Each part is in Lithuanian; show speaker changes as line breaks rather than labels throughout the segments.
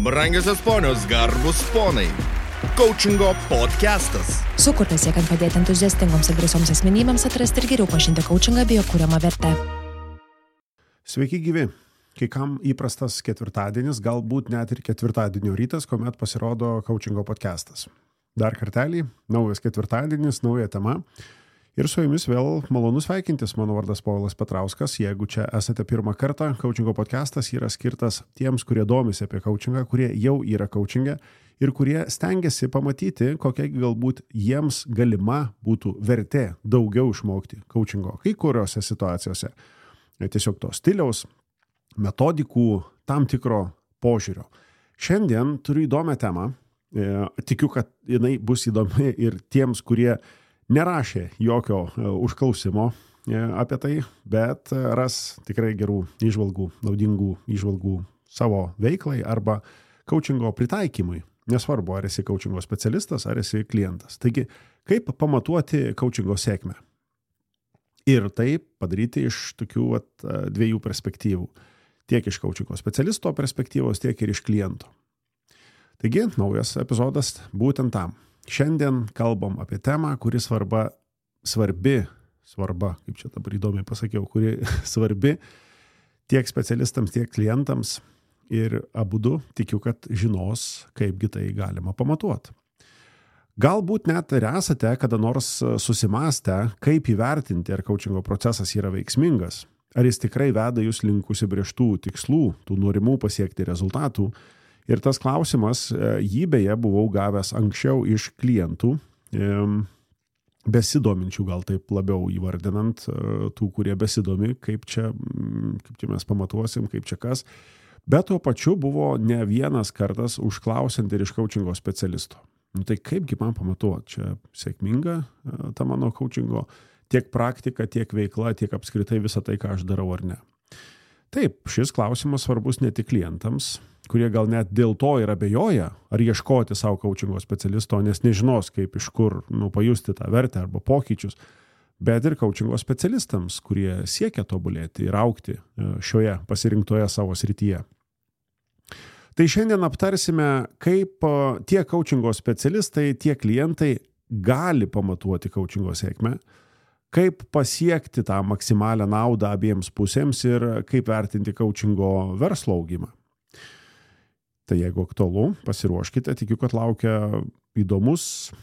Brangiosios ponios, garbus ponai. Coachingo podcastas.
Sukurtas siekiant padėti entuziastingoms ir drąsioms asmenybėms atrasti ir geriau pažinti coachingą bei jo kuriamą vertę.
Sveiki gyvi. Kai kam įprastas ketvirtadienis, galbūt net ir ketvirtadienio rytas, kuomet pasirodo coachingo podcastas. Dar kartelį, naujas ketvirtadienis, nauja tema. Ir su jumis vėl malonu sveikintis, mano vardas Povilas Petrauskas. Jeigu čia esate pirmą kartą, coachingo podcastas yra skirtas tiems, kurie domisi apie coachingą, kurie jau yra coachingę ir kurie stengiasi pamatyti, kokia galbūt jiems galima būtų vertė daugiau išmokti coachingo kai kuriuose situacijose. Tiesiog to stiliaus, metodikų, tam tikro požiūrio. Šiandien turiu įdomią temą. Tikiu, kad jinai bus įdomi ir tiems, kurie nerašė jokio užklausimo apie tai, bet ras tikrai gerų įžvalgų, naudingų įžvalgų savo veiklai arba coachingo pritaikymui. Nesvarbu, ar esi coachingo specialistas, ar esi klientas. Taigi, kaip pamatuoti coachingo sėkmę? Ir tai padaryti iš tokių dviejų perspektyvų. Tiek iš coachingo specialisto perspektyvos, tiek ir iš kliento. Taigi, naujas epizodas būtent tam. Šiandien kalbam apie temą, kuri svarbi, kaip čia dabar įdomiai pasakiau, kuri svarbi tiek specialistams, tiek klientams ir abudu tikiu, kad žinos, kaipgi tai galima pamatuoti. Galbūt net ir esate kada nors susimąstę, kaip įvertinti, ar coachingo procesas yra veiksmingas, ar jis tikrai veda jūs link užsibrėžtų tikslų, tų norimų pasiekti rezultatų. Ir tas klausimas, jį beje buvau gavęs anksčiau iš klientų, besidominčių gal taip labiau įvardinant, tų, kurie besidomi, kaip čia mes pamatuosim, kaip čia kas. Bet tuo pačiu buvo ne vienas kartas užklausiant ir iš coachingo specialisto. Tai kaipgi man pamatuoti, čia sėkminga ta mano coachingo, tiek praktika, tiek veikla, tiek apskritai visą tai, ką aš darau ar ne. Taip, šis klausimas svarbus ne tik klientams, kurie gal net dėl to ir abejoja, ar ieškoti savo coachingo specialisto, nes nežinos, kaip iš kur pajusti tą vertę arba pokyčius, bet ir coachingo specialistams, kurie siekia tobulėti ir augti šioje pasirinktoje savo srityje. Tai šiandien aptarsime, kaip tiek coachingo specialistai, tiek klientai gali pamatuoti coachingo sėkmę, kaip pasiekti tą maksimalią naudą abiems pusėms ir kaip vertinti coachingo verslo augimą. Tai jeigu aktualu, pasiruoškite, tikiu, kad laukia įdomus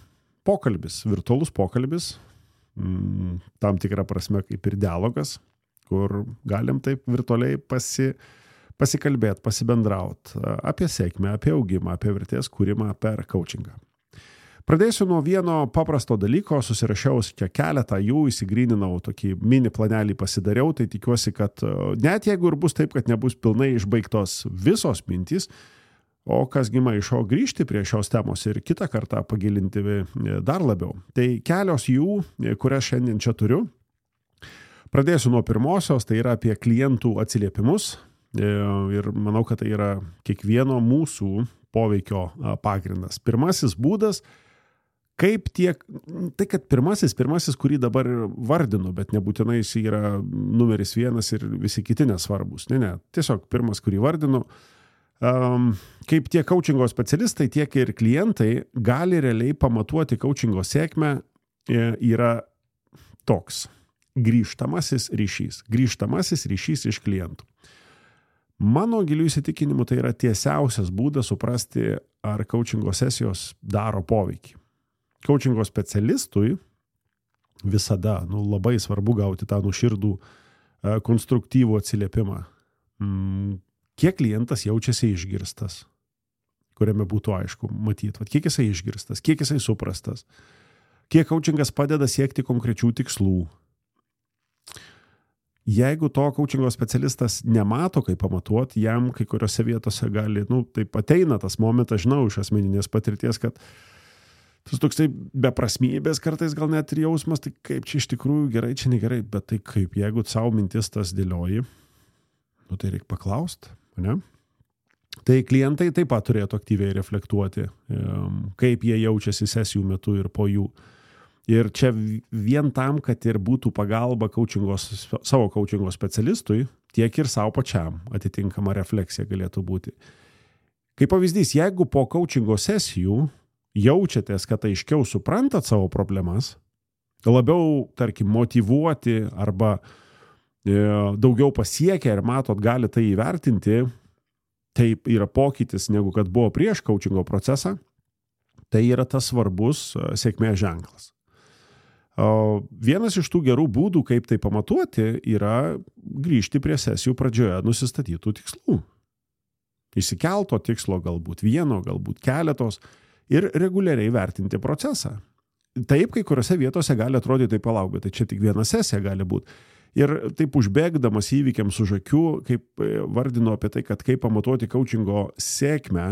pokalbis, virtualus pokalbis, tam tikrą prasme kaip ir dialogas, kur galim taip virtualiai pasikalbėti, pasibendrauti apie sėkmę, apie augimą, apie vertės kūrimą per coachingą. Pradėsiu nuo vieno paprasto dalyko, susirašiau čia keletą jų, įsigryninau tokį mini planelį pasidariau, tai tikiuosi, kad net jeigu ir bus taip, kad nebus pilnai išbaigtos visos mintys, o kasgi maišo grįžti prie šios temos ir kitą kartą pagilinti dar labiau. Tai kelios jų, kurias šiandien čia turiu. Pradėsiu nuo pirmosios, tai yra apie klientų atsiliepimus ir manau, kad tai yra kiekvieno mūsų poveikio pagrindas. Pirmasis būdas, kaip tiek, tai kad pirmasis, kurį dabar vardinu, bet nebūtinai jis yra numeris 1 ir visi kiti nesvarbus. Ne, tiesiog pirmas, kurį vardinu, kaip tiek coachingo specialistai, tiek ir klientai gali realiai pamatuoti coachingo sėkmę, yra toks grįžtamasis ryšys iš klientų. Mano gilių įsitikinimu tai yra tiesiausias būdas suprasti, ar coachingo sesijos daro poveikį. Coachingo specialistui visada labai svarbu gauti tą nuoširdų konstruktyvų atsiliepimą. Kiek klientas jaučiasi išgirstas, kuriame būtų aišku matyti, kiek jisai išgirstas, kiek jisai suprastas, kiek coachingas padeda siekti konkrečių tikslų. Jeigu to coachingo specialistas nemato, kaip pamatuoti, jam kai kuriuose vietose gali, taip ateina tas momentas, žinau iš asmeninės patirties, kad tas toksai beprasmybės kartais gal net ir jausmas, tai kaip čia iš tikrųjų gerai, čia negerai, bet tai kaip, jeigu savo mintis tas dėlioji, tai reikia paklausti, ne? Tai klientai taip pat turėtų aktyviai reflektuoti, kaip jie jaučiasi sesijų metu ir po jų. Ir čia vien tam, kad ir būtų pagalba savo coachingo specialistui, tiek ir savo pačiam atitinkama refleksija galėtų būti. Kaip pavyzdys, jeigu po coachingo sesijų jaučiatės, kad aiškiau suprantat savo problemas, labiau, tarkim, motyvuoti arba daugiau pasiekę ir matot, gali tai įvertinti, tai yra pokytis negu kad buvo prieš coachingo procesą, tai yra tas svarbus sėkmės ženklas. Vienas iš tų gerų būdų, kaip tai pamatuoti, yra grįžti prie sesijų pradžioje nusistatytų tikslų. Išsikelto tikslo, galbūt vieno, galbūt keletos ir reguliariai vertinti procesą. Taip, kai kuriuose vietose gali atrodyti tai palauk, bet tai čia tik viena sesija gali būti. Ir taip užbėgdamas įvykiams už akių, kaip vardinu apie tai, kad kaip pamatuoti coachingo sėkmę,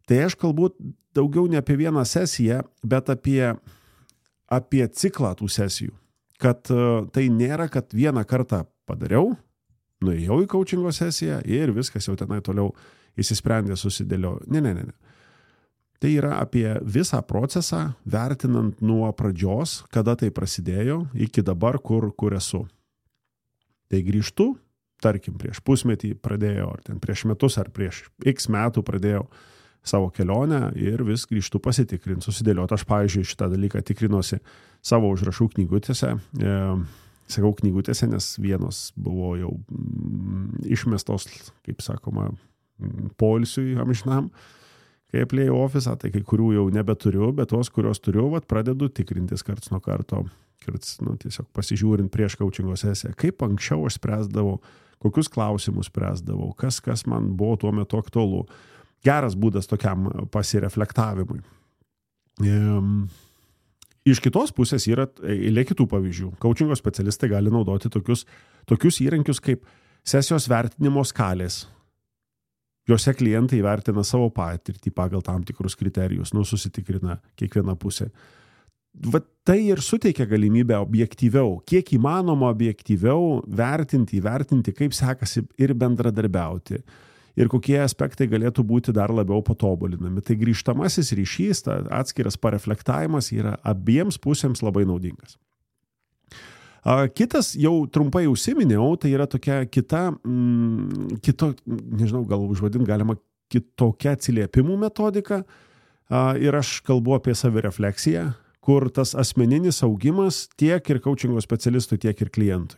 tai aš kalbu daugiau ne apie vieną sesiją, bet apie ciklą tų sesijų. Kad tai nėra, kad vieną kartą padariau, nuėjau į coachingo sesiją ir viskas jau tenai toliau įsisprendė, susidėliojo. Ne. Tai yra apie visą procesą, vertinant nuo pradžios, kada tai prasidėjo, iki dabar, kur esu. Tai grįžtu, tarkim, prieš pusmetį pradėjau, ar ten prieš metus, ar prieš X metų pradėjau savo kelionę ir vis grįžtu pasitikrinti, susidėlioti. Aš, pavyzdžiui, šitą dalyką tikrinuosi savo užrašų knygutėse. Sakau knygutėse, nes vienos buvo jau išmestos, kaip sakoma, poilsiui amžinam, kai aplėjau ofisą, tai kai kurių jau nebeturiu, bet tos, kurios turiu, pradedu tikrintis karts nuo karto, tiesiog pasižiūrint prieš coachingo sesiją, kaip anksčiau aš spręsdavau, kokius klausimus spręsdavau, kas man buvo tuo metu aktualu. Geras būdas tokiam pasireflektavimui. Iš kitos pusės yra eilė kitų pavyzdžių. Coachingo specialistai gali naudoti tokius įrankius kaip sesijos vertinimo skalės. Jose klientai vertina savo patirtį pagal tam tikrus kriterijus, susitikrina kiekviena pusė. Tai ir suteikia galimybę objektyviau, kiek įmanoma objektyviau vertinti, kaip sekasi ir bendradarbiauti. Ir kokie aspektai galėtų būti dar labiau patobulinami. Tai grįžtamasis ryšys, atskiras pareflektavimas yra abiems pusėms labai naudingas. Kitas, jau trumpai užsiminiau, tai yra tokia nežinau, gal užvadint galima kitokia atsiliepimų metodika. Ir aš kalbu apie savirefleksiją, kur tas asmeninis augimas tiek ir coachingo specialistui, tiek ir klientui.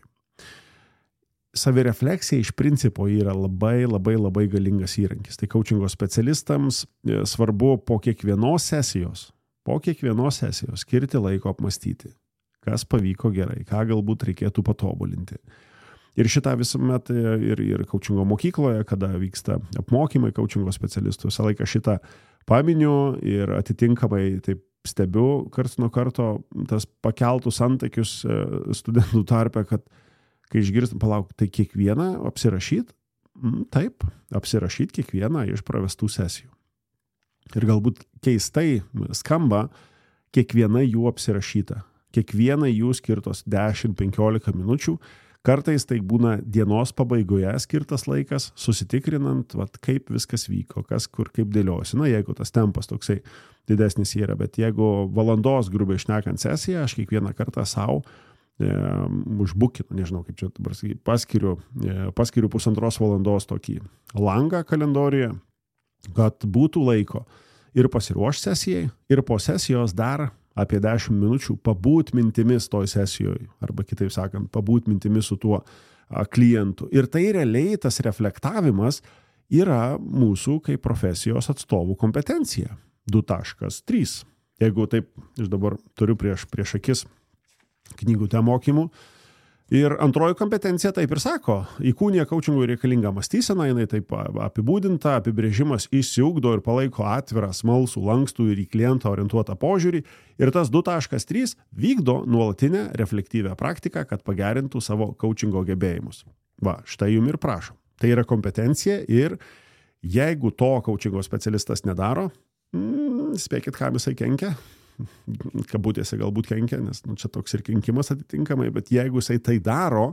Savirefleksija iš principo yra labai galingas įrankis. Tai coachingo specialistams svarbu po kiekvienos sesijos skirti laiko apmastyti, kas pavyko gerai, ką galbūt reikėtų patobulinti. Ir šitą visuomet ir coachingo mokykloje, kada vyksta apmokymai coachingo specialistų, visą laiką šitą paminiu ir atitinkamai taip stebiu karts nuo karto tas pakeltus antakius studentų tarpe, kad kai išgirstam, palauk, tai kiekvieną apsirašyt? Taip, apsirašyt kiekvieną iš pravestų sesijų. Ir galbūt keistai skamba kiekviena jų apsirašyta. Kiekviena jų skirtos 10-15 minučių. Kartais tai būna dienos pabaigoje skirtas laikas, susitikrinant, kaip viskas vyko, kas kur kaip dėliosi. Jeigu tas tempas toksai didesnis yra, bet jeigu valandos grubiai šnekant sesiją, aš kiekvieną kartą savo užbukinu, nežinau kaip čia dabar sakyti, paskiriu 1,5 valandos tokį langą kalendoriuje, kad būtų laiko ir pasiruošti sesijai, ir po sesijos dar apie 10 minučių pabūt mintimis toj sesijoje, arba kitaip sakant, pabūt mintimis su tuo klientu. Ir tai realiai tas reflektavimas yra mūsų kaip profesijos atstovų kompetencija. 2.3. Jeigu taip, aš dabar turiu prieš akis knygutę mokymų. Ir antroji kompetencija taip ir sako, įkūnija coachingui reikalingą mąstyseną, jinai taip apibūdinta, apibrėžimas išsiugdo ir palaiko atvirą, smalsų, lankstų ir į klientą orientuotą požiūrį. Ir tas 2.3 vykdo nuolatinę reflektyvę praktiką, kad pagerintų savo coachingo gebėjimus. Štai jum ir prašom. Tai yra kompetencija ir jeigu to coachingo specialistas nedaro, spėkit, kam jisai kenkia. Kabutėse galbūt kenkia, nes čia toks ir kenkimas atitinkamai, bet jeigu jisai tai daro,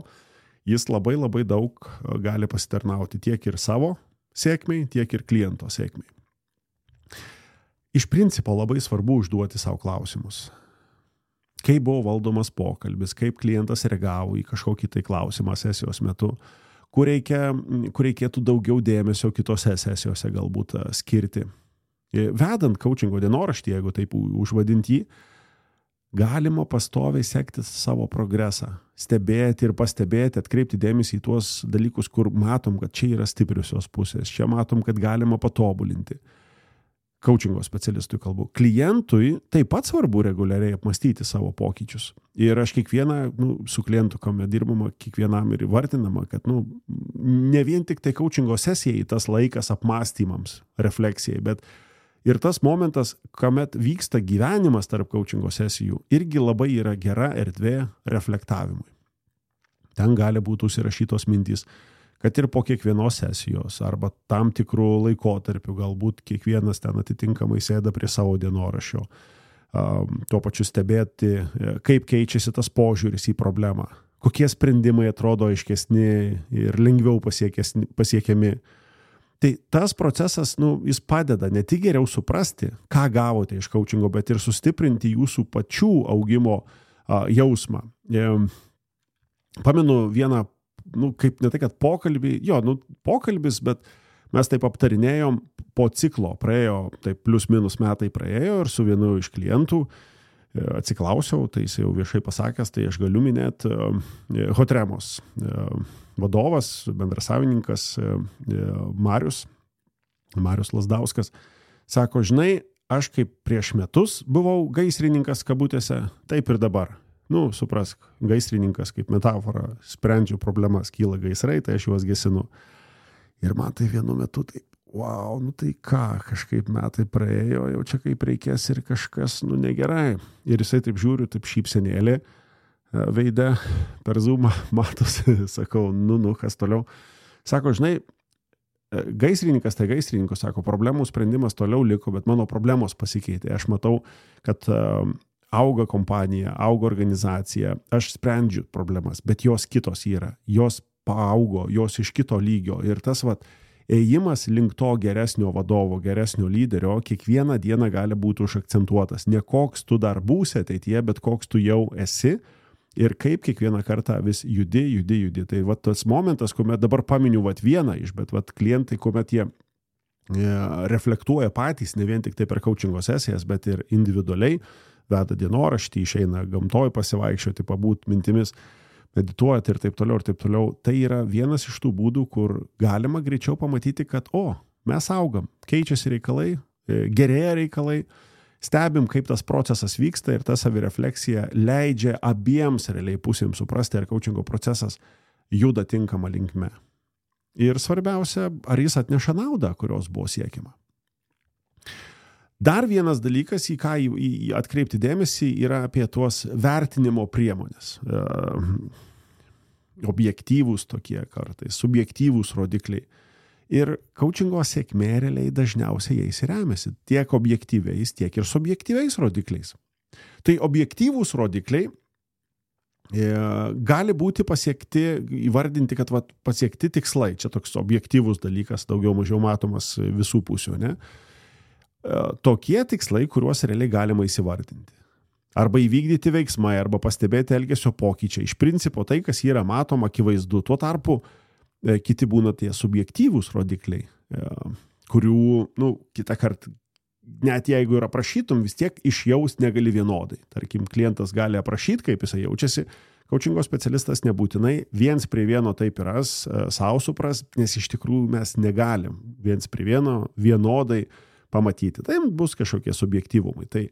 jis labai daug gali pasitarnauti tiek ir savo sėkmei, tiek ir kliento sėkmei. Iš principo labai svarbu užduoti savo klausimus. Kaip buvo valdomas pokalbis, kaip klientas reagavo į kažkokį tai klausimą sesijos metu, kur reikėtų daugiau dėmesio kitose sesijose galbūt skirti. Vedant coachingo dienoraštį, jeigu taip užvadinti jį, galima pastoviai sekti savo progresą, stebėti ir pastebėti, atkreipti dėmesį į tuos dalykus, kur matom, kad čia yra stipriusios pusės, čia matom, kad galima patobulinti. Coachingo specialistui kalbu. Klientui taip pat svarbu reguliariai apmastyti savo pokyčius. Ir aš su klientu, kuomet dirbama, kiekvienam ir įvardinama, kad ne vien tik tai coachingo sesijai tas laikas apmastymams, refleksijai, bet ir tas momentas, kuomet vyksta gyvenimas tarp coachingo sesijų, irgi labai yra gera erdvė reflektavimui. Ten gali būti užsirašytos mintys, kad ir po kiekvienos sesijos arba tam tikrų laikotarpių galbūt kiekvienas ten atitinkamai sėda prie savo dienoraščio. Tuo pačiu stebėti, kaip keičiasi tas požiūris į problemą, kokie sprendimai atrodo aiškesni ir lengviau pasiekiami. Tai tas procesas, jis padeda ne tik geriau suprasti, ką gavote iš coachingo, bet ir sustiprinti jūsų pačių augimo jausmą. Pamenu vieną, kaip ne tai, kad pokalbis, bet mes taip aptarinėjom po ciklo, praėjo, taip plius minus metai praėjo ir su vienu iš klientų atsiklausiau, tai jis jau viešai pasakęs, tai aš galiu minėti Hotremos vadovas, bendrasavininkas Marius Lasdauskas, sako, žinai, aš kaip prieš metus buvau gaisrininkas kabutėse, taip ir dabar. Suprask, gaisrininkas kaip metafora, sprendžiu problemas, kyla gaisrai, tai aš juos gesinu. Ir man tai vienu metu taip, wow, tai ką, kažkaip metai praėjo, jau čia kaip reikės ir kažkas, negerai. Ir jisai taip žiūriu, taip šypsenėlė veide, per Zoomą matosi, sakau, kas toliau. Sako, žinai, gaisrininkas, sako, problemų sprendimas toliau liko, bet mano problemos pasikeitė. Aš matau, kad auga kompanija, auga organizacija, aš sprendžiu problemas, bet jos kitos yra, jos paaugo, jos iš kito lygio ir tas ėjimas link to geresnio vadovo, geresnio lyderio, kiekvieną dieną gali būti užakcentuotas. Ne koks tu dar būsi ateityje, bet koks tu jau esi ir kaip kiekvieną kartą vis judi. Tai tas momentas, kuomet dabar paminiu vieną iš, bet klientai, kuomet jie reflektuoja patys, ne vien tik tai per coachingo sesijas, bet ir individualiai, veda dienoraštį, išeina gamtoj pasivaikščioti, pabūt mintimis, medituoti ir taip toliau. Tai yra vienas iš tų būdų, kur galima greičiau pamatyti, kad mes augam, keičiasi reikalai, gerėja reikalai, stebim, kaip tas procesas vyksta ir ta savirefleksija leidžia abiems realiai pusėms suprasti, ar coachingo procesas juda tinkama linkme. Ir svarbiausia, ar jis atneša naudą, kurios buvo siekiama. Dar vienas dalykas, į ką atkreipti dėmesį, yra apie tuos vertinimo priemonės. Objektyvūs tokie kartais, subjektyvūs rodikliai. Ir coachingo sėkmė realiai dažniausiai jais remiasi, tiek objektyviais, tiek ir subjektyviais rodikliais. Tai objektyvūs rodikliai gali būti pasiekti, įvardinti, kad pasiekti tikslai. Čia toks objektyvus dalykas, daugiau mažiau matomas visų pusių, ne? Tokie tikslai, kuriuos realiai galima įsivardinti. Arba įvykdyti veiksmai, arba pastebėti elgesio pokyčiai. Iš principo tai, kas yra matoma, akivaizdu. Tuo tarpu kiti būna tie subjektyvūs rodikliai, kurių, kitą kartą, net jeigu ir aprašytum, vis tiek išjaust negali vienodai. Tarkim, klientas gali aprašyti, kaip jisai jaučiasi. Coachingo specialistas nebūtinai viens prie vieno taip yra, savo supras, nes iš tikrųjų mes negalim viens prie vieno vienodai pamatyti. Tai bus kažkokie subjektyvumai. Tai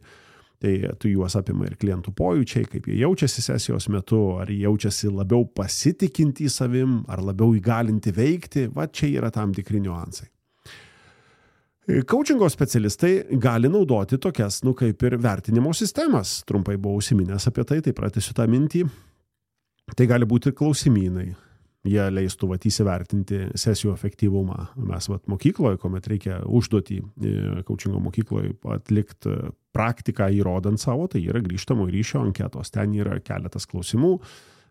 tu juos apima ir klientų pojūčiai, kaip jie jaučiasi sesijos metu, ar jie jaučiasi labiau pasitikinti savim, ar labiau įgalinti veikti. Čia yra tam tikri niuansai. Coachingo specialistai gali naudoti tokias, kaip ir vertinimo sistemas. Trumpai buvau užsiminęs apie tai pratęsiu tą mintį. Tai gali būti klausimynai. Jie leistų įsivertinti sesijų efektyvumą. Mes mokykloje, kuomet reikia užduotį coachingo mokykloje atlikti praktiką įrodant savo, tai yra grįžtamo ryšio anketos. Ten yra keletas klausimų,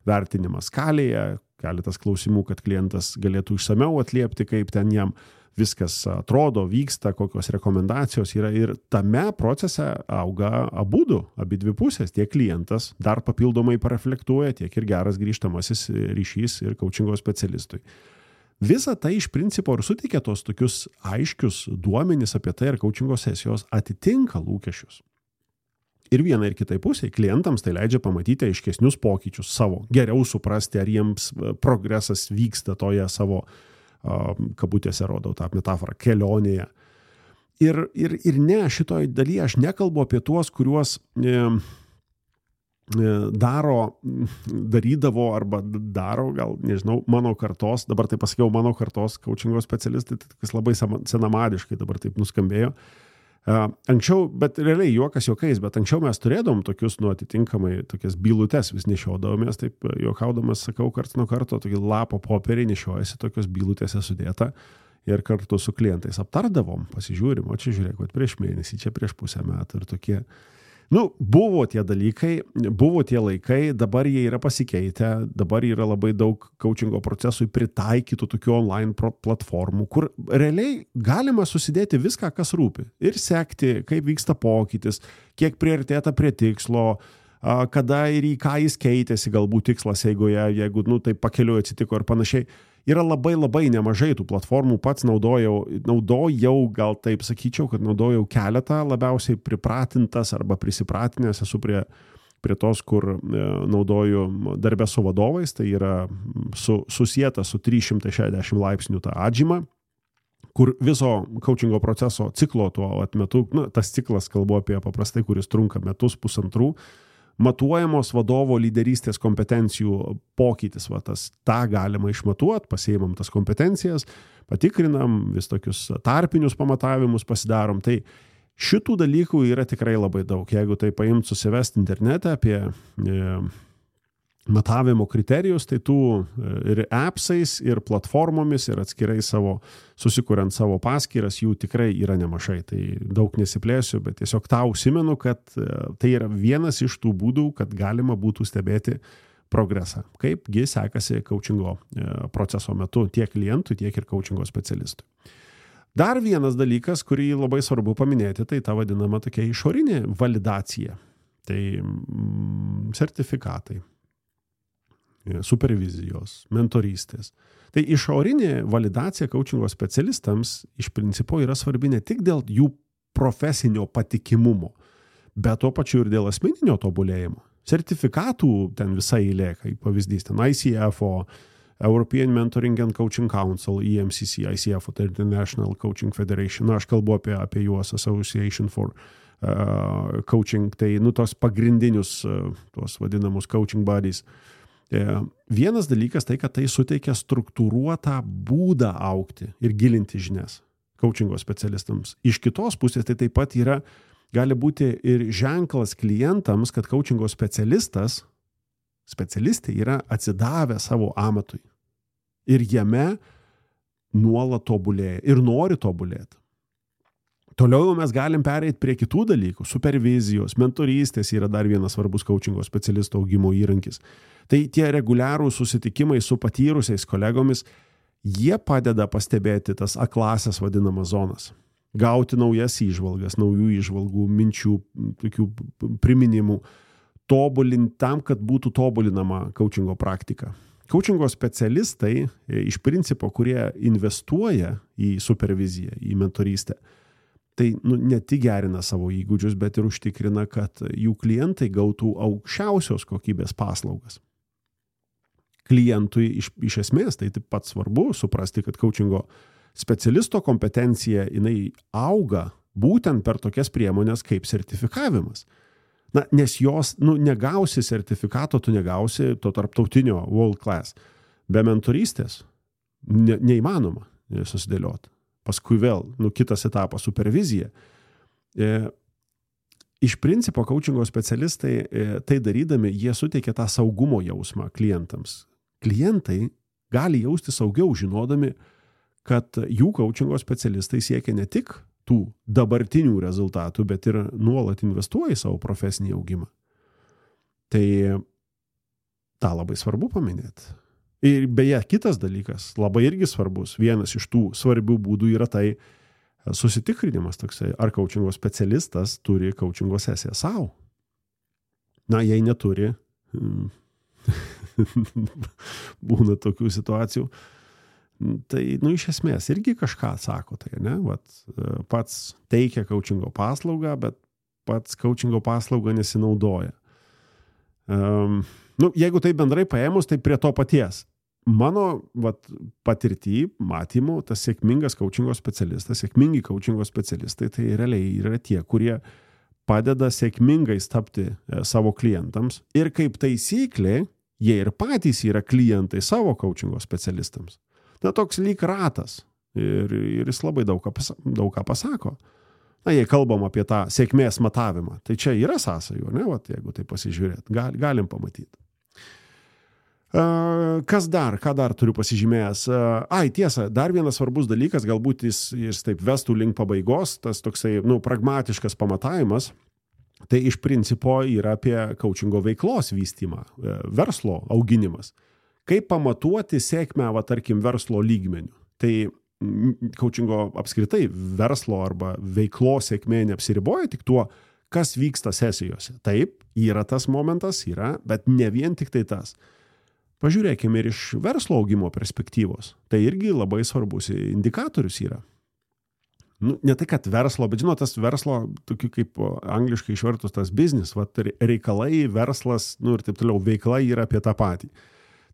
vertinimas skalėje, keletas klausimų, kad klientas galėtų išsamiau atliepti, kaip ten jam viskas atrodo, vyksta, kokios rekomendacijos yra. Ir tame procese auga abi dvi pusės. Tiek klientas dar papildomai pareflektuoja, tiek ir geras grįžtamasis ryšys ir coachingo specialistui. Visa tai iš principo ir suteikia tos tokius aiškius duomenis apie tai, ar coachingo sesijos atitinka lūkesčius. Ir vienai ir kitai pusiai klientams tai leidžia pamatyti aiškesnius pokyčius savo, geriau suprasti, ar jiems progresas vyksta toje savo, kabutėse rodau tą metaforą, kelionėje. Ir ne, šitoj dalyje aš nekalbu apie tuos, kuriuos darydavo arba daro, gal nežinau, mano kartos, dabar tai pasakiau mano kartos coachingo specialistai, kas labai senamadiškai dabar taip nuskambėjo. Anksčiau, bet realiai juokas juokais, bet anksčiau mes turėdom tokius, atitinkamai tokias bylutes vis nešiodavomės, taip juokaudamas sakau, karts nuo karto, tokį lapo popierį nešiojasi, tokios bylutėse sudėta ir kartu su klientais aptardavom, pasižiūrim, o čia žiūrėk, prieš mėnesį, čia prieš pusę metų ir tokie. Buvo tie dalykai, buvo tie laikai, dabar jie yra pasikeitę, dabar yra labai daug coachingo procesui pritaikytų tokių online platformų, kur realiai galima susidėti viską, kas rūpi. Ir sekti, kaip vyksta pokytis, kiek priartėta prie tikslo, kada ir į ką jis keitėsi, galbūt tikslas eigoje, jeigu tai pakeliui atsitiko ir panašiai. Yra labai nemažai tų platformų, pats naudojau, gal taip sakyčiau, kad naudojau keletą, labiausiai pripratintas arba prisipratinęs esu prie tos, kur naudoju darbę su vadovais, tai yra susieta su 360 laipsnių tą atžymą, kur viso coachingo proceso ciklo tuo metu, tas ciklas kalbu apie paprastai, kuris trunka metus, pusantrų, matuojamos vadovo lyderystės kompetencijų pokytis. Ta galima išmatuoti, pasiimam tas kompetencijas, patikrinam, vis tokius tarpinius pamatavimus pasidarom. Tai šitų dalykų yra tikrai labai daug. Jeigu tai paimt susivesti internete apie matavimo kriterijus, tai tų ir appsais, ir platformomis, ir atskirai susikuriant savo paskyras, jų tikrai yra nemažai. Tai daug nesiplėsiu, bet tiesiog tą užsimenu, kad tai yra vienas iš tų būdų, kad galima būtų stebėti progresą. Kaipgi sekasi coachingo proceso metu tiek klientui, tiek ir coachingo specialistui. Dar vienas dalykas, kurį labai svarbu paminėti, tai ta vadinama tokia išorinė validacija. Tai sertifikatai, supervizijos, mentorystės. Tai išorinė validacija coachingo specialistams iš principo yra svarbi ne tik dėl jų profesinio patikimumo, bet tuo pačiu ir dėl asmeninio tobulėjimo. Sertifikatų ten visai eilė, kaip pavyzdys, ten ICF, European Mentoring and Coaching Council, EMCC, ICF, tai International Coaching Federation, aš kalbu apie juos, Association for Coaching, tai tos pagrindinius, tos vadinamus coaching bodies. Vienas dalykas tai, kad tai suteikia struktūruotą būdą augti ir gilinti žinias coachingo specialistams. Iš kitos pusės tai taip pat gali būti ir ženklas klientams, kad coachingo specialistai yra atsidavę savo amatui ir jame nuolat tobulėja ir nori tobulėti. Toliau mes galim pereiti prie kitų dalykų. Supervizijos, mentorystės yra dar vienas svarbus coachingo specialisto augimo įrankis. Tai tie reguliarūs susitikimai su patyrusiais kolegomis, jie padeda pastebėti tas aklasias vadinamas zonas. Gauti naujas įžvalgas, naujų įžvalgų, minčių, tokių priminimų, tobulinti tam, kad būtų tobulinama coachingo praktika. Coachingo specialistai iš principo, kurie investuoja į superviziją, į mentorystę, tai ne tik gerina savo įgūdžius, bet ir užtikrina, kad jų klientai gautų aukščiausios kokybės paslaugas. Klientui iš esmės tai taip pat svarbu suprasti, kad coachingo specialisto kompetencija jinai auga būtent per tokias priemonės kaip sertifikavimas. Nes jos negausi sertifikato, tu negausi to tarptautinio world class. Be mentorystės neįmanoma susidėlioti. Paskui vėl, kitas etapas, supervizija. Iš principo, coachingo specialistai tai darydami, jie suteikia tą saugumo jausmą klientams. Klientai gali jausti saugiau, žinodami, kad jų coachingo specialistai siekia ne tik tų dabartinių rezultatų, bet ir nuolat investuoja į savo profesinį augimą. Tai tą labai svarbu paminėti. Ir beje, kitas dalykas, labai irgi svarbus, vienas iš tų svarbių būdų yra tai susitikrinimas toksai, ar coachingo specialistas turi coachingo sesiją savo. Jei neturi, būna tokių situacijų, Tai, iš esmės, irgi kažką atsako tai, ne? Vat, pats teikia coachingo paslaugą, bet pats coachingo paslaugą nesinaudoja. Jeigu tai bendrai paėmus, tai prie to paties. Mano patirtį, matymų, tas sėkmingas coachingo specialistas, sėkmingi coachingo specialistai, tai realiai yra tie, kurie padeda sėkmingai tapti savo klientams ir kaip taisyklė, jie ir patys yra klientai savo coachingo specialistams. Toks lyg ratas ir jis labai daug ką pasako. Jei kalbam apie tą sėkmės matavimą, tai čia yra sąsajų, ne? Jeigu tai pasižiūrėt, galim pamatyti. Ką dar turiu pasižymėjęs? Tiesa, dar vienas svarbus dalykas, galbūt jis taip vestų link pabaigos, tas toksai, pragmatiškas pamatavimas, tai iš principo yra apie coachingo veiklos vystymą, verslo auginimas. Kaip pamatuoti sėkmę, tarkim, verslo lygmenių? Tai coachingo apskritai verslo arba veiklos sėkmė neapsiriboja tik tuo, kas vyksta sesijose. Taip, yra tas momentas, bet ne vien tik tai tas. Pažiūrėkime ir iš verslo augimo perspektyvos. Tai irgi labai svarbus indikatorius yra. Ne tai, kad verslo, bet tas verslo, tokiu kaip angliškai išvertus tas business, reikalai, verslas, ir taip toliau, veikla yra apie tą patį.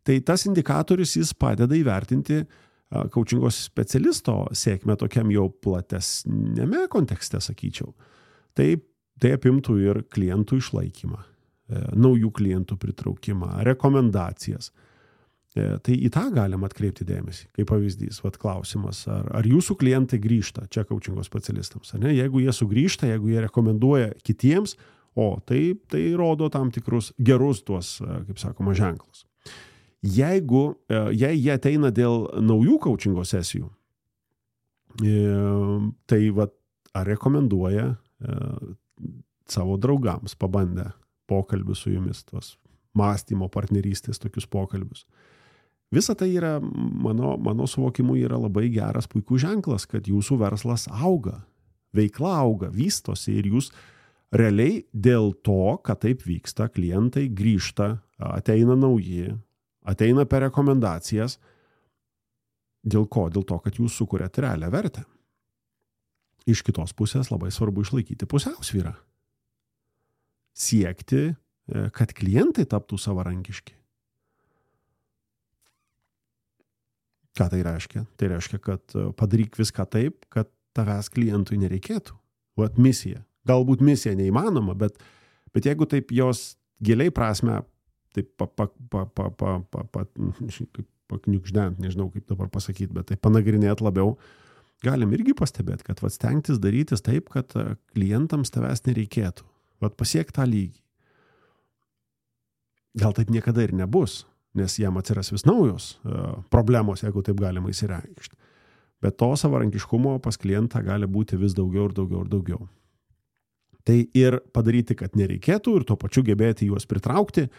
Tai tas indikatorius jis padeda įvertinti coachingo specialisto sėkmę tokiam jau platesnėme kontekste, sakyčiau. Tai apimtų ir klientų išlaikymą, naujų klientų pritraukimą, rekomendacijas. Tai į tą galim atkreipti dėmesį. Kaip pavyzdys, klausimas, ar jūsų klientai grįžta čia coachingo specialistams? Ne? Jeigu jie sugrįžta, jeigu jie rekomenduoja kitiems, tai rodo tam tikrus gerus tuos, kaip sakoma, ženklus. Jei jie ateina dėl naujų coachingo sesijų, tai ar rekomenduoja savo draugams pabandę pokalbius su jumis, tos mąstymo partnerystės tokius pokalbius. Visa tai yra, mano suvokimu, yra labai geras, puikus ženklas, kad jūsų verslas auga, veikla auga, vystosi ir jūs realiai dėl to, kad taip vyksta, klientai grįžta, ateina nauji, ateina per rekomendacijas. Dėl ko? Dėl to, kad jūs sukuriate realią vertę. Iš kitos pusės labai svarbu išlaikyti pusiausvyrą. Siekti, kad klientai taptų savarankiški. Ką tai reiškia? Tai reiškia, kad padaryk viską taip, kad tavęs klientui nereikėtų. Misija. Galbūt misija neįmanoma, bet jeigu taip jos giliai prasme taip pakniukždent, nežinau kaip dabar pasakyti, bet tai panagrinėt labiau, galim irgi pastebėti, kad stengtis darytis taip, kad klientams tavęs nereikėtų. Pasiekti tą lygį. Gal taip niekada ir nebus, nes jam atsiras vis naujos problemos, jeigu taip galima įsireikšti. Bet to savarankiškumo pas klientą gali būti vis daugiau ir daugiau ir daugiau. Tai ir padaryti, kad nereikėtų ir tuo pačiu gebėti juos pritraukti,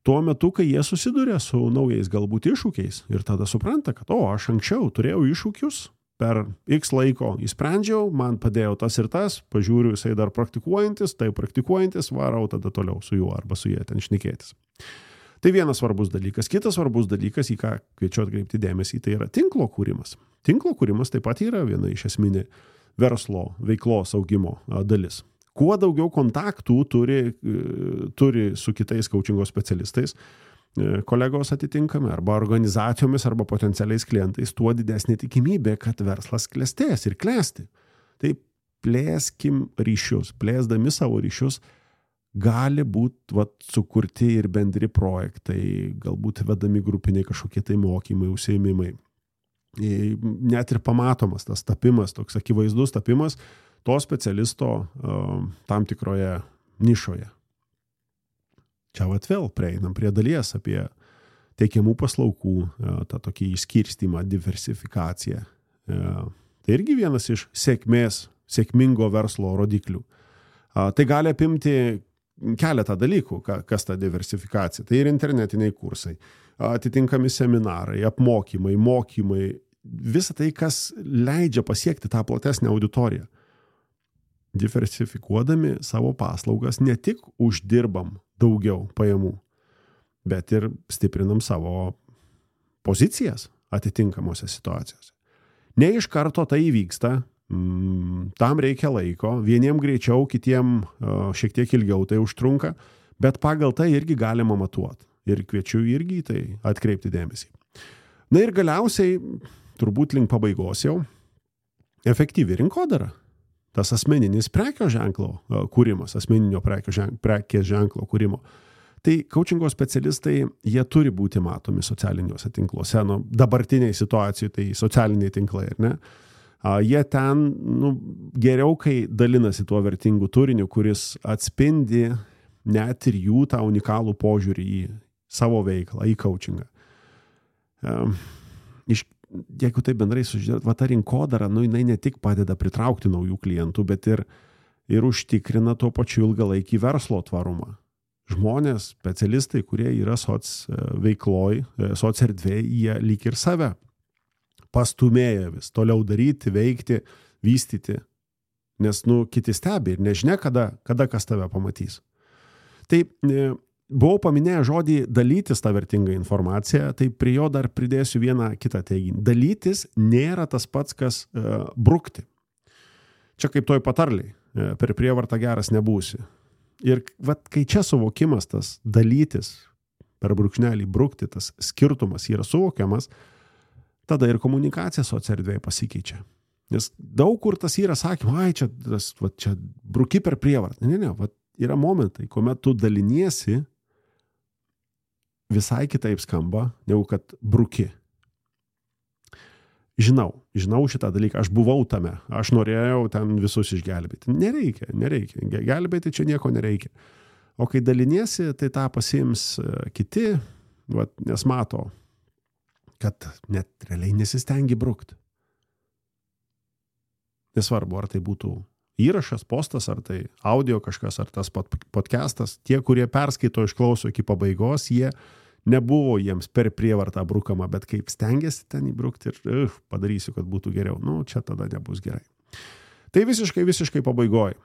tuo metu, kai jie susiduria su naujais galbūt iššūkiais ir tada supranta, kad aš anksčiau turėjau iššūkius, per X laiko įsprendžiau, man padėjo tas ir tas, pažiūriu, jisai dar praktikuojantis, varau tada toliau su juo arba su jie ten šnekėtis. Tai vienas svarbus dalykas. Kitas svarbus dalykas, į ką kviečiu atkreipti dėmesį, tai yra tinklo kūrimas. Tinklo kūrimas taip pat yra viena iš esminė verslo veiklos augimo dalis. Kuo daugiau kontaktų turi su kitais coachingo specialistais, kolegos atitinkami, arba organizacijomis, arba potencialiais klientais, tuo didesnė tikimybė, kad verslas klestės ir klesti. Tai plėskim ryšius, plėsdami savo ryšius, gali būti sukurti ir bendri projektai, galbūt vedami grupiniai kažkokie tai mokymai, užsiėmimai. Net ir pamatomas tas tapimas, toks akivaizdus tapimas, to specialisto tam tikroje nišoje. Čia vėl prieinam prie dalies apie teikiamų paslaugų, tą tokį išskirstymą, diversifikaciją. Tai irgi vienas iš sėkmingo verslo rodiklių. Tai gali apimti keletą dalykų, kas ta diversifikacija. Tai ir internetiniai kursai, atitinkami seminarai, apmokymai, mokymai, visa tai, kas leidžia pasiekti tą platesnę auditoriją. Diversifikuodami savo paslaugas ne tik uždirbam daugiau pajamų, bet ir stiprinam savo pozicijas atitinkamose situacijose. Ne iš karto tai įvyksta, tam reikia laiko, vieniem greičiau, kitiem šiek tiek ilgiau tai užtrunka, bet pagal tai irgi galima matuoti. Ir kviečiu irgi tai atkreipti dėmesį. Na ir galiausiai, turbūt link pabaigos jau, efektyvi rinkodara. Tas asmeninis prekio ženklo kūrimas, asmeninio prekės ženklo kūrimo. Tai coachingo specialistai, jie turi būti matomi socialiniuose tinkluose. Dabartiniai situacijai tai socialiniai tinklai, ar ne? Jie ten geriau, kai dalinasi tuo vertingu turiniu, kuris atspindi net ir jų tą unikalų požiūrį į savo veiklą, į coachingą. Jeigu tai bendrai sužiūrėt, ta rinkodara, jinai ne tik padeda pritraukti naujų klientų, bet ir užtikrina tuo pačiu ilgalaikį verslo tvarumą. Žmonės, specialistai, kurie yra veikloj, erdvėje, jie lyg ir save pastumėja vis toliau daryti, veikti, vystyti, nes kiti stebi ir nežinia, kada kas tave pamatys. Tai buvau paminėję žodį dalytis tą vertingą informaciją, tai prie jo dar pridėsiu vieną kitą teiginį. Dalytis nėra tas pats, kas brukti. Čia kaip toj patarliai, per prievartą geras nebūsi. Ir kai čia suvokimas tas dalytis, per brūkšnelį brukti, tas skirtumas yra suvokiamas, tada ir komunikacija socierdvėje pasikeičia. Nes daug kur tas yra sakyma, čia bruki per prievartą. Ne, yra momentai, kuomet tu daliniesi, visai kitaip skamba, negu kad bruki. Žinau šitą dalyką, aš buvau tame, aš norėjau ten visus išgelbėti. Nereikia. Gelbėti čia nieko nereikia. O kai daliniesi, tai tą pasiims kiti, nes mato, kad net realiai nesistengi brukti. Nesvarbu, ar tai būtų įrašas, postas, ar tai audio kažkas, ar tas podcastas. Tie, kurie perskaito, išklauso iki pabaigos, jie nebuvo jiems per prievartą brukama, bet kaip stengiasi ten įbrukti ir padarysiu, kad būtų geriau. Čia tada nebus gerai. Tai visiškai pabaigoj.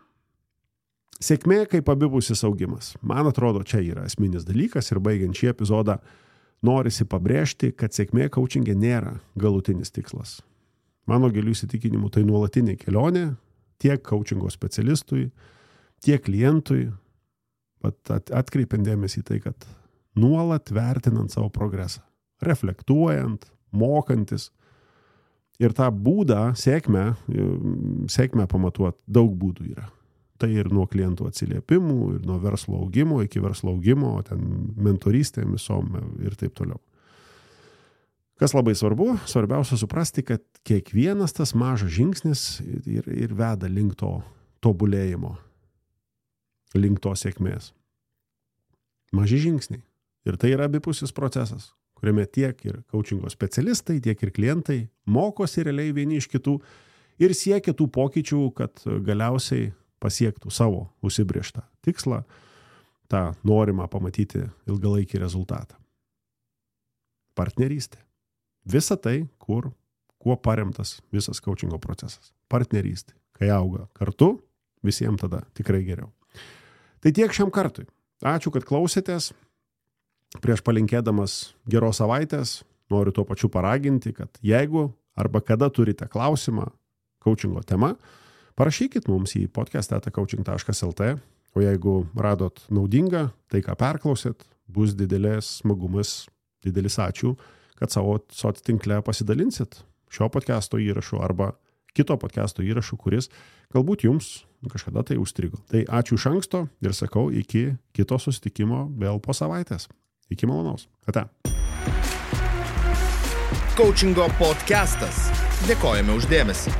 Sėkmė kaip abipusis augimas. Man atrodo, čia yra esminis dalykas ir baigiant šį epizodą norisi pabrėžti, kad sėkmė coachingė nėra galutinis tikslas. Mano gilių įsitikinimų tai nuolatinė kelionė tiek coachingo specialistui, tiek klientui, atkreipiant dėmesį į tai, kad nuolat vertinant savo progresą, reflektuojant, mokantis ir tą būdą, sėkmę pamatuoti, daug būdų yra. Tai ir nuo klientų atsiliepimų, ir nuo verslo augimo iki verslo augimo, ten mentorystėm visom ir taip toliau. Kas labai svarbu, svarbiausia suprasti, kad kiekvienas tas mažas žingsnis ir veda link to tobulėjimo, link to sėkmės. Maži žingsniai. Ir tai yra abipusis procesas, kuriame tiek ir coachingo specialistai, tiek ir klientai mokosi realiai vieni iš kitų ir siekia tų pokyčių, kad galiausiai pasiektų savo užsibrėžtą tikslą, tą norimą pamatyti ilgalaikį rezultatą. Partnerystė. Visa tai, kuo paremtas visas coachingo procesas. Partnerystė. Kai auga kartu, visiems tada tikrai geriau. Tai tiek šiam kartui. Ačiū, kad klausėtės. Prieš palinkėdamas geros savaitės noriu tuo pačiu paraginti, kad jeigu arba kada turite klausimą coachingo tema, parašykit mums į podcast@coaching.lt, o jeigu radot naudinga, tai ką perklausėt, bus didelis smagumas, didelis ačiū, kad savo sociatinkle pasidalinsit šio podcasto įrašu arba kito podcasto įrašu, kuris galbūt jums kažkada tai užstrigo. Tai ačiū iš anksto ir sakau iki kito susitikimo vėl po savaitės. Iki malonaus. Ate.
Coachingo podcastas. Dėkojame už dėmesį.